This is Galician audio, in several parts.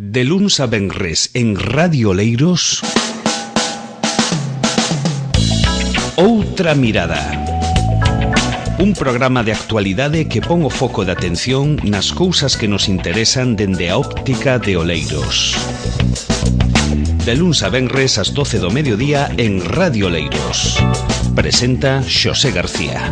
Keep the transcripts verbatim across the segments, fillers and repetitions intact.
De luns a venres en Radio Oleiros, Outra Mirada. Un programa de actualidade que pon o foco de atención nas cousas que nos interesan dende a óptica de Oleiros. De luns a venres ás doce do mediodía en Radio Oleiros. Presenta Xosé García.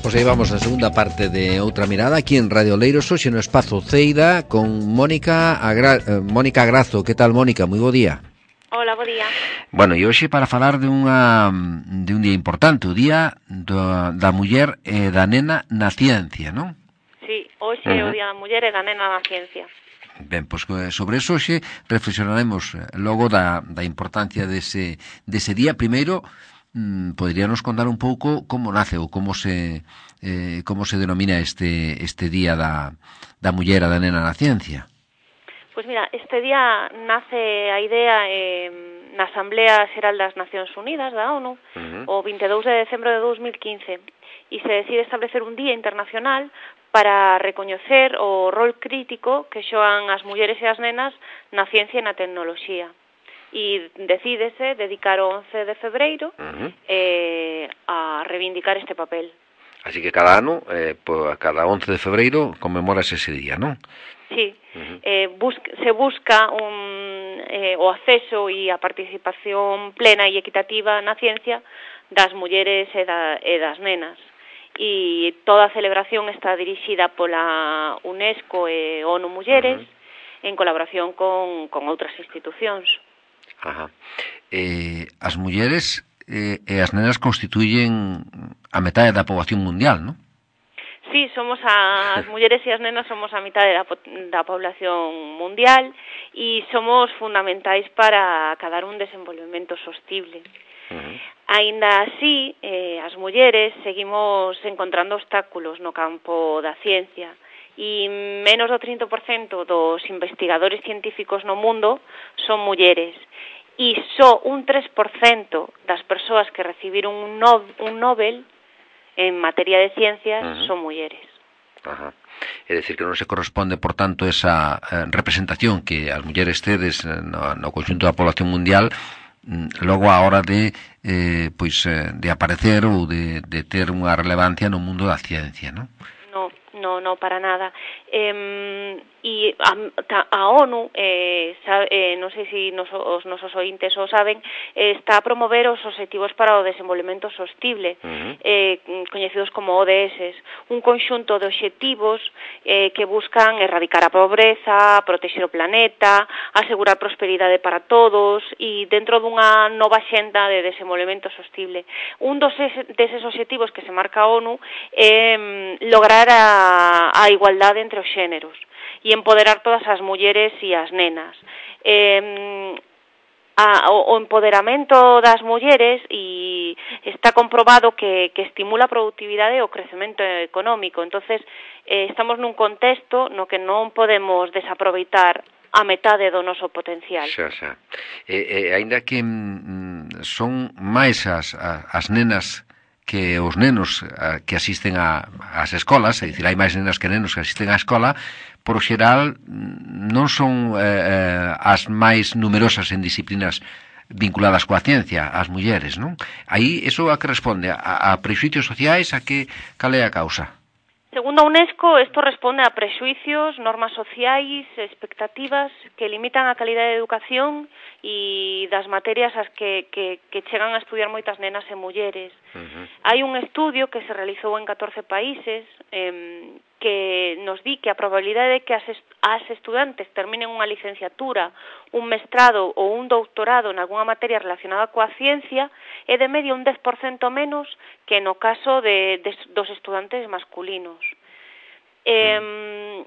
Pois aí vamos na segunda parte de Outra Mirada aquí en Radio Oleiros, hoxe no Espazo Ceira con Mónica Agra... eh, Mónica Grazo. Que tal, Mónica? Moi bo día. Hola, bo día. Bueno, e hoxe para falar de unha de un día importante, o Día do, da Muller e da Nena na Ciencia, non? Sí, hoxe é uh-huh. o Día da Muller e da Nena na Ciencia. Ben, pois sobre eso hoxe reflexionaremos logo da, da importancia dese, dese día. Primeiro, poderíanos contar un pouco como nace ou como se eh, como se denomina este este día da da muller e da nena na ciencia. Pois mira, este día nace a idea eh, na Asamblea Xeral das Nacións Unidas da ONU, uh-huh. o vinte e dous de decembro de dos mil quince, e se decide establecer un día internacional para recoñecer o rol crítico que xogan as mulleres e as nenas na ciencia e na tecnoloxía. E decídese dedicar o once de febreiro uh-huh. eh, a reivindicar este papel. Así que cada ano, eh, pues, cada once de febreiro, conmemoras ese día, non? Sí, uh-huh. eh, busca, se busca un, eh, o acceso e a participación plena e equitativa na ciencia das mulleres e, da, e das nenas. E toda a celebración está dirixida pola UNESCO e ONU Mulleres uh-huh. en colaboración con, con outras institucións. Ajá. Eh, as mulleres eh, e as nenas constituyen a metade da poboación mundial, non? Sí, somos a, as mulleres e as nenas somos a mitade da, da población mundial e somos fundamentais para acadar un desenvolvemento sostible. Uh-huh. Aínda así, eh, as mulleres seguimos encontrando obstáculos no campo da ciencia e menos do trinta por cento dos investigadores científicos no mundo son mulleres. E só un tres por cento das persoas que recibiron un, no, un Nobel en materia de ciencias uh-huh. son mulleres. Ajá. É dicir, que non se corresponde, por tanto, esa eh, representación que as mulleres tedes no, no conxunto da población mundial logo a hora de eh, pois, eh, de aparecer ou de, de ter unha relevancia no mundo da ciencia, non? No, no, no, para nada. Eh, e a, a ONU, eh, sabe, eh, non sei se nos, os nosos ointes o saben, eh, está a promover os obxectivos para o desenvolvemento sostible, uh-huh. eh, coñecidos como O D S, un conxunto de obxectivos eh, que buscan erradicar a pobreza, protexer o planeta, asegurar prosperidade para todos e dentro dunha nova xenda de desenvolvemento sostible. Un dos deses obxectivos que se marca a ONU é eh, lograr a, a igualdade entre os xéneros e empoderar todas as mulleres e as nenas. Eh, a, o, o empoderamento das mulleres e está comprobado que, que estimula a productividade e o crecemento económico. Entonces, eh, estamos nun contexto no que non podemos desaproveitar a metade do noso potencial. Xa, xa. E, e, ainda que mm, son máis as, as nenas que os nenos que asisten a, ás escolas, é dicir, hai máis nenas que nenos que asisten á escola, por o xeral non son eh, as máis numerosas en disciplinas vinculadas coa ciencia, as mulleres, non? Aí, iso a que responde? A, a prexuicios sociais, a que cal é a causa? Segundo a UNESCO, isto responde a prexuicios, normas sociais, expectativas que limitan a calidade de educación e das materias as que, que, que chegan a estudiar moitas nenas e mulleres. Uh-huh. Hai un estudio que se realizou en catorce países eh, que nos di que a probabilidade de que as, est as estudantes terminen unha licenciatura, un mestrado ou un doutorado en algunha materia relacionada coa ciencia é de medio un dez por cento menos que no caso de, de, dos estudantes masculinos. Eh,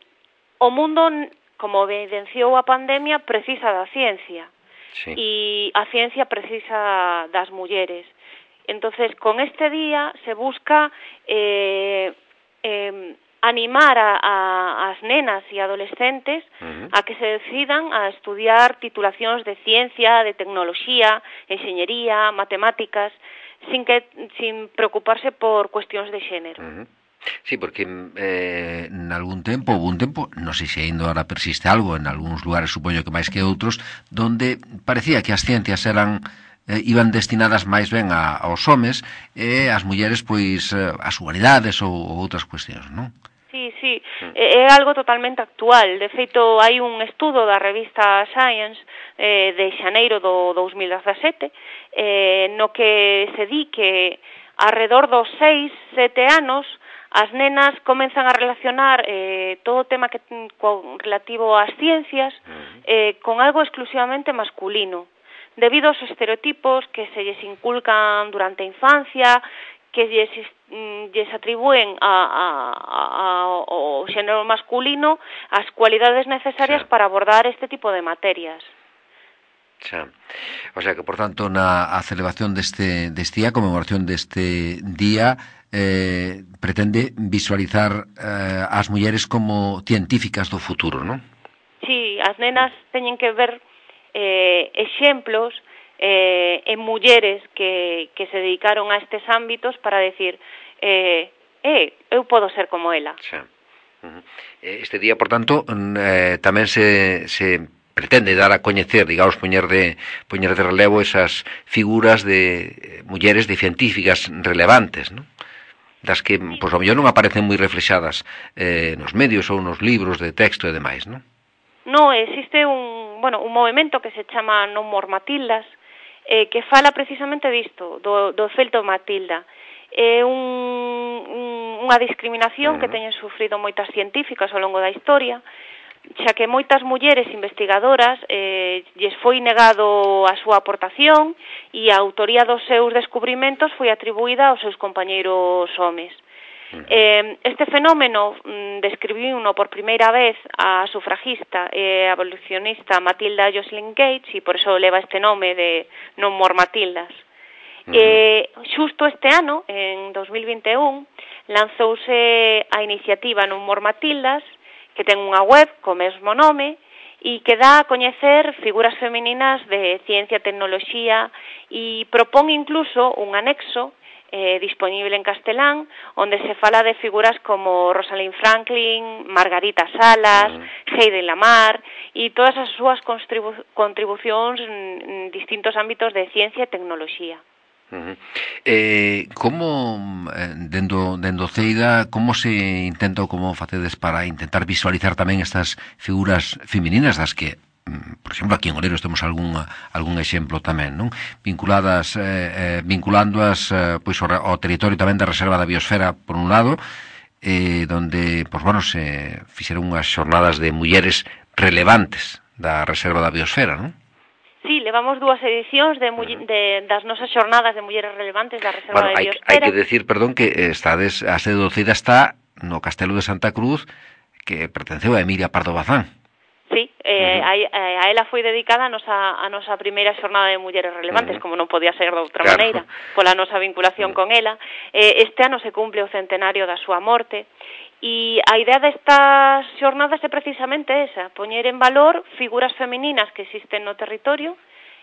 o mundo, como evidenciou a pandemia, precisa da ciencia. Sí. E a ciencia precisa das mulleres. Entonces, con este día se busca eh, eh, animar a, a, as nenas e adolescentes uh-huh. a que se decidan a estudiar titulacións de ciencia, de tecnoloxía, enxeñería, matemáticas, sin que sin preocuparse por cuestións de xénero. Uh-huh. Sí, porque eh, en algún tempo, houve un tempo, non sei se ainda ahora persiste algo, en algúns lugares supoño que máis que outros, donde parecía que as ciencias eran eh, iban destinadas máis ben a, aos homes e as mulleres, pois, eh, as humanidades ou, ou outras cuestións, non? Sí, sí, é algo totalmente actual. De feito, hai un estudo da revista Science eh, de xaneiro do dous mil dezasete eh, no que se di que alrededor dos seis, sete anos as nenas comenzan a relacionar eh, todo o tema que con, relativo ás ciencias eh, con algo exclusivamente masculino, debido aos estereotipos que se lles inculcan durante a infancia, que lles, lles atribúen a, a, a, ao xénero masculino as cualidades necesarias sí. para abordar este tipo de materias. Xa. O sea que, por tanto, na a celebración deste, deste día, a conmemoración deste día, eh, pretende visualizar eh, as mulleres como científicas do futuro, non? Sí, as nenas teñen que ver eh, exemplos eh, en mulleres que, que se dedicaron a estes ámbitos para decir eh, eh, eu podo ser como ela. Xa. Uh-huh. Este día, por tanto, eh, tamén se, se pretende dar a coñecer, digamos, poñer de, poñer de relevo esas figuras de mulleres, de científicas relevantes, non? Das que, pois, ao mellor non aparecen moi reflexadas eh, nos medios ou nos libros de texto e demais, non? No, existe un, bueno, un movimento que se chama No More Matildas, eh, que fala precisamente disto, do, do felto Matilda. É un, un, unha discriminación uh-huh. que teñen sufrido moitas científicas ao longo da historia, xa que moitas mulleres investigadoras eh, lles foi negado a súa aportación e a autoría dos seus descubrimentos foi atribuída aos seus compañeiros homes. Eh, este fenómeno mm, describiu uno por primeira vez a sufragista e abolicionista Matilda Jocelyn Gates e por eso leva este nome de No More Matildas. Uh-huh. Eh, xusto este ano, en dos mil vinte e un, lanzouse a iniciativa No More Matildas, que ten unha web co mesmo nome e que dá a coñecer figuras femininas de ciencia e tecnoloxía e propón incluso un anexo Eh, disponible en castelán, onde se fala de figuras como Rosalind Franklin, Margarita Salas, mm. Heidi Lamar e todas as súas contribu- contribucións en distintos ámbitos de ciencia e tecnoloxía. Uh-huh. Eh, como, eh, dendo, dendo Ceida, como se intenta ou como facedes para intentar visualizar tamén estas figuras femininas das que, por exemplo, aquí en Oleiros temos algún, algún exemplo tamén, non? Vinculadas, eh, eh, vinculándoas eh, pois, ao, ao territorio tamén da Reserva da Biosfera, por un lado, eh, donde, pois, bueno, se fixeron unhas xornadas de mulleres relevantes da Reserva da Biosfera, non? Sí, levamos dúas edicións de, de, das nosas xornadas de mulleres relevantes da Reserva bueno, da hai, Biosfera. Hai que decir, perdón, que estades, a sede do Ceida está no Castelo de Santa Cruz, que pertenceu a Emilia Pardo Bazán. Sí, eh, uh-huh. a, a ela foi dedicada a nosa, a nosa primeira xornada de mulleres relevantes, uh-huh. como non podía ser de outra claro. maneira, pola nosa vinculación uh-huh. con ela. Eh, este ano se cumple o centenario da súa morte, e a idea destas xornadas é precisamente esa, poñer en valor figuras femininas que existen no territorio,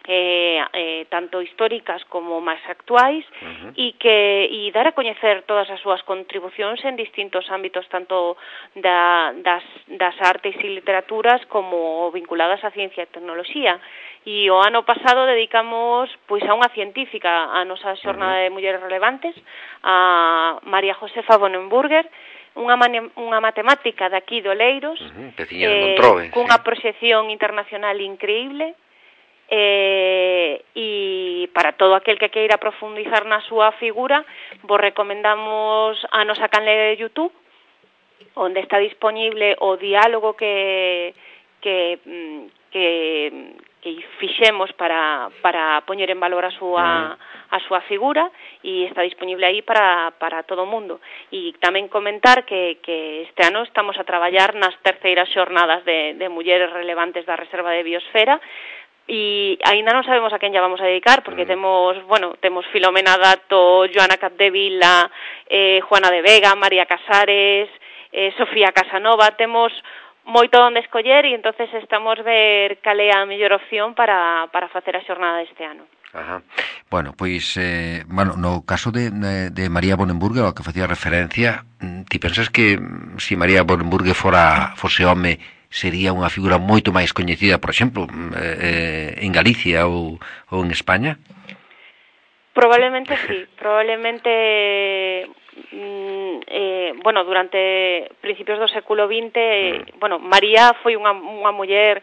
eh, eh, tanto históricas como máis actuais, uh-huh. e que e dar a coñecer todas as súas contribucións en distintos ámbitos, tanto da, das, das artes e literaturas como vinculadas á ciencia e tecnoloxía. E o ano pasado dedicamos pois a unha científica a nosa xornada uh-huh. de mulleres relevantes, a María Josefa Bonenburger, unha, mane, unha matemática de aquí de Oleiros, uh-huh. eh, Montrove, cunha sí. proxección internacional increíble. Eh, e para todo aquel que queira profundizar na súa figura, vos recomendamos a nosa canle de YouTube, onde está disponible o diálogo que que que, que fixemos para, para poñer en valor a súa a súa figura, e está disponible aí para, para todo o mundo. E tamén comentar que, que este ano estamos a traballar nas terceiras xornadas de, de mulleres relevantes da Reserva de Biosfera, e aínda non sabemos a quen lla vamos a dedicar, porque mm. temos, bueno, temos Filomena Dato, Joana Capdevila, eh, Juana de Vega, María Casares, eh, Sofía Casanova, temos moito onde escoller, e entonces estamos ver cal é a mellor opción para, para facer a xornada deste ano. Ajá. Bueno, pois, eh, bueno, no caso de, de, de María Bonenburger, ao que facía referencia, ti pensas que se si María Bonenburger fora fose home, sería unha figura moito máis coñecida, por exemplo, eh, en Galicia ou, ou en España? Probablemente sí, probablemente, mm, eh, bueno, durante principios do século vinte, eh, bueno, María foi unha, unha muller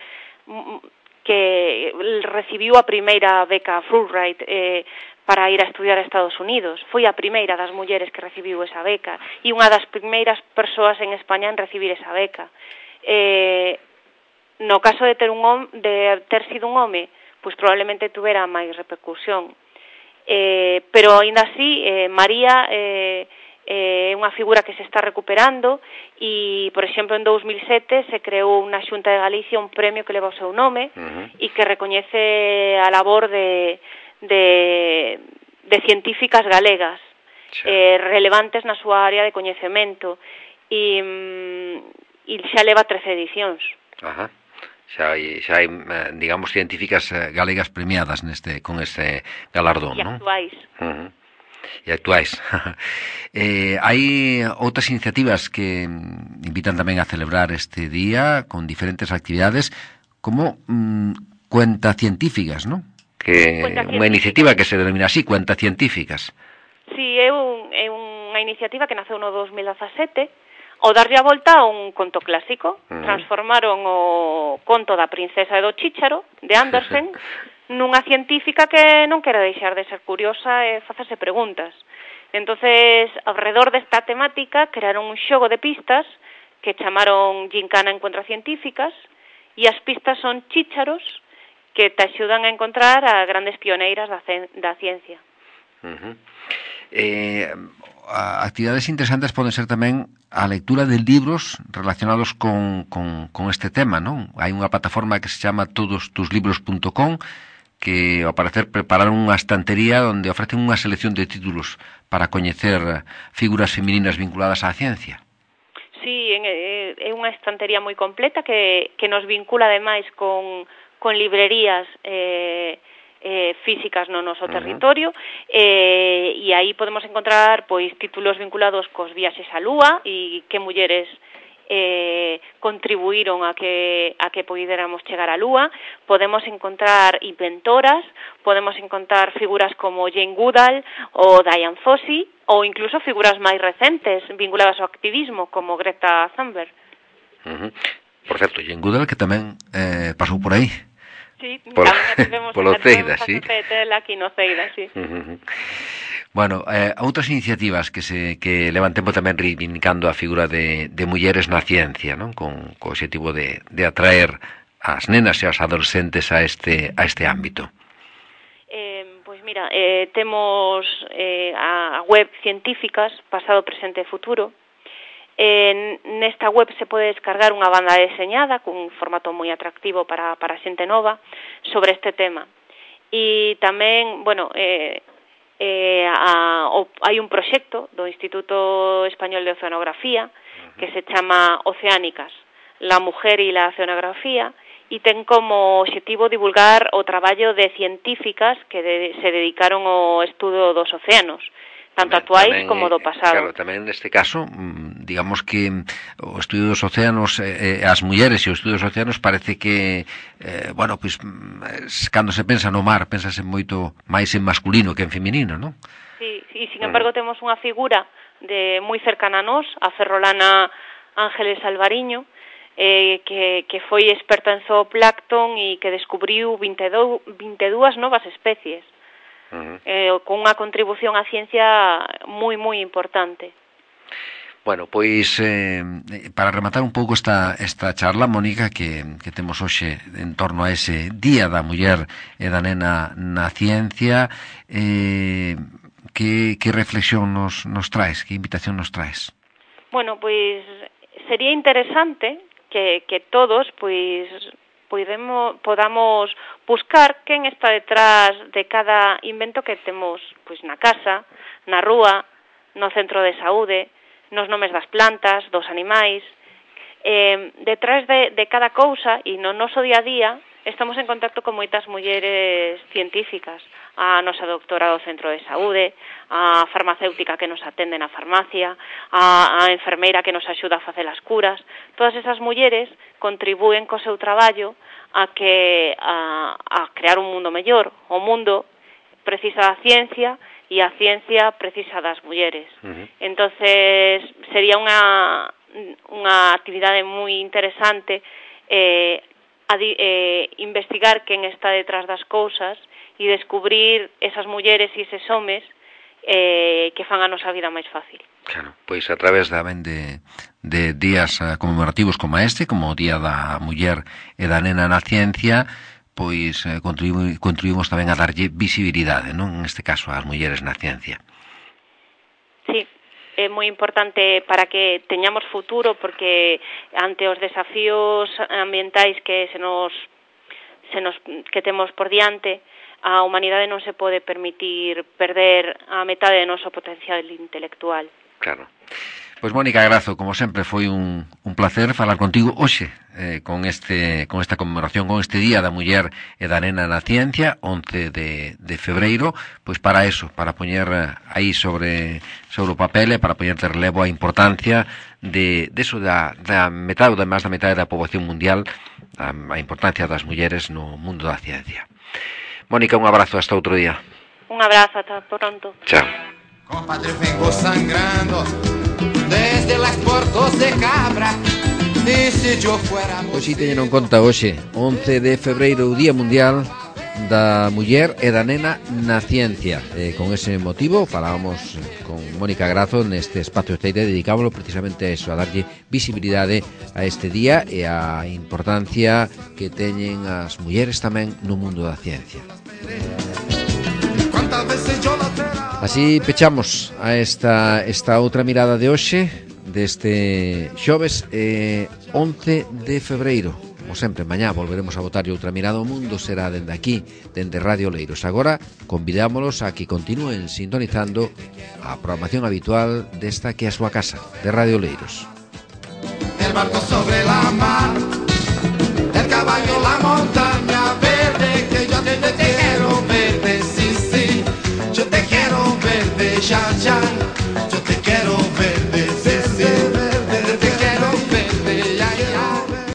que recibiu a primeira beca Fulbright eh, para ir a estudiar a Estados Unidos. Foi a primeira das mulleres que recibiu esa beca e unha das primeiras persoas en España en recibir esa beca. Eh, no caso de ter un hom, de ter sido un home, pois probablemente tuvera máis repercusión. Eh, pero aínda así, eh, María é eh, unha figura que se está recuperando e, por exemplo, en dous mil sete se creou na Xunta de Galicia un premio que leva o seu nome uh-huh. e que recoñece a labor de, de, de científicas galegas sí. eh, relevantes na súa área de coñecemento e, e xa leva trece edicións. Ajá. Xa hai, xa hai, digamos, científicas galegas premiadas neste con este galardón, non? E actuais. Uh-huh. E actuais. eh, hai outras iniciativas que invitan tamén a celebrar este día con diferentes actividades como mm, cuenta científicas, non? Que unha iniciativa que se denomina así, cuenta científicas. Sí, é, un, é unha iniciativa que naceu no dos mil dezasete. O darlle a volta a un conto clásico. Uh-huh. Transformaron o conto da princesa e do chícharo, de Andersen, nunha científica que non quere deixar de ser curiosa e facerse preguntas. Entonces, alrededor desta temática, crearon un xogo de pistas que chamaron Gincana Encuentra Científicas, e as pistas son chícharos que te axudan a encontrar a grandes pioneiras da, da ciencia. Uh-huh. Eh... actividades interesantes poden ser tamén a lectura de libros relacionados con, con, con este tema, non? Hai unha plataforma que se chama todos tus libros punto com que, ao parecer, prepararon unha estantería onde ofrecen unha selección de títulos para coñecer figuras femininas vinculadas á ciencia. Sí, é unha estantería moi completa que, que nos vincula, ademais, con, con librerías eh, Eh, físicas no noso territorio. Uh-huh. eh, e aí podemos encontrar pois títulos vinculados cos viaxes á Lúa e que mulleres eh, contribuíron a que a que poidéramos chegar á Lúa. Podemos encontrar inventoras, podemos encontrar figuras como Jane Goodall ou Diane Fossey, ou incluso figuras máis recentes vinculadas ao activismo como Greta Thunberg. Uh-huh. Por certo, Jane Goodall que tamén eh, pasou por aí. Sí, por, polo Ceida, sí. Aquí no Ceida, sí. Uh-huh. Bueno, eh, outras iniciativas que se que levan tempo tamén reivindicando a figura de, de mulleres na ciencia, non? Con, con o objetivo de, de atraer as nenas e as adolescentes a este a este ámbito. Eh, pois mira, eh, temos eh, a web Científicas, pasado, presente e futuro. Eh, nesta web se pode descargar unha banda deseñada cun formato moi atractivo para, para xente nova sobre este tema. E tamén, bueno, eh, eh, a, o, hai un proxecto do Instituto Español de Oceanografía que se chama Oceánicas, la mujer e la oceanografía, e ten como objetivo divulgar o traballo de científicas que de, se dedicaron ao estudo dos océanos, tanto actuais tamén, como do pasado. Claro, tamén neste caso, digamos que o estudio dos océanos, eh, as mulleres e o estudio dos océanos parece que, eh, bueno, pois, cando se pensa no mar, pensase moito máis en masculino que en feminino, non? Sí, e sin embargo temos unha figura de moi cercana a nós, a ferrolana Ángeles Alvariño, eh, que, que foi experta en zooplancton e que descubriu vinte e dúas novas especies. Uh-huh. eh, con unha contribución á ciencia moi, moi importante. Bueno, pois eh, para rematar un pouco esta, esta charla, Mónica, que, que temos hoxe en torno a ese Día da Muller e da Nena na Ciencia, eh, que, que reflexión nos, nos traes, que invitación nos traes? Bueno, pois sería interesante que, que todos, pois Podemos, podamos buscar quen está detrás de cada invento que temos pois na casa, na rúa, no centro de saúde, nos nomes das plantas, dos animais. Eh, detrás de, de cada cousa e no noso día a día estamos en contacto con moitas mulleres científicas, a nosa doutora do centro de saúde, a farmacéutica que nos atende na farmacia, a, a enfermeira que nos axuda a facer as curas. Todas esas mulleres contribúen co seu traballo a que a, a crear un mundo mellor. O mundo precisa da ciencia e a ciencia precisa das mulleres. Uh-huh. Entonces, sería unha unha actividade moi interesante eh, a, eh, investigar quen está detrás das cousas e descubrir esas mulleres e eses homes eh, que fan a nosa vida máis fácil. Claro, pois a través tamén de, de días conmemorativos como este, como o Día da Muller e da Nena na Ciencia, pois eh, contribu- contribuimos tamén a darlle visibilidade, non? En este caso, ás mulleres na ciencia. Sí, é moi importante para que teñamos futuro, porque ante os desafíos ambientais que se nos, se nos que temos por diante, a humanidade non se pode permitir perder a metade do noso potencial intelectual. Claro. Pois Mónica Grazo, como sempre, foi un, un placer falar contigo hoxe eh, con este con esta conmemoración, con este Día da Muller e da Nena na Ciencia, once de, de febreiro, pois para eso, para poñer aí sobre sobre o papel e para poñer de relevo a importancia de, de eso da, da metade ou da máis da metade da poboación mundial, a, a importancia das mulleres no mundo da ciencia. Mónica, un abrazo, hasta outro día. Un abrazo, hasta pronto. Chao. Compadre, vengo sangrando desde las portos de Cabra. Pois si teñen en conta hoxe, once de febreiro, o Día Mundial da Muller e da Nena na Ciencia. E con ese motivo falábamos con Mónica Grazo neste espacio esteire, dedicámoslo precisamente a eso, a darlle visibilidade a este día e a importancia que teñen as mulleres tamén no mundo da ciencia. Así pechamos a esta, esta outra mirada de hoxe, deste xoves eh, once de febreiro. Como sempre, mañá volveremos a botarlle outra mirada ao mundo, será dende aquí, dende Radio Oleiros. Agora, convidámolos a que continúen sintonizando a programación habitual desta que é a súa casa, de Radio Oleiros. El barco sobre la mar, el caballo la monta.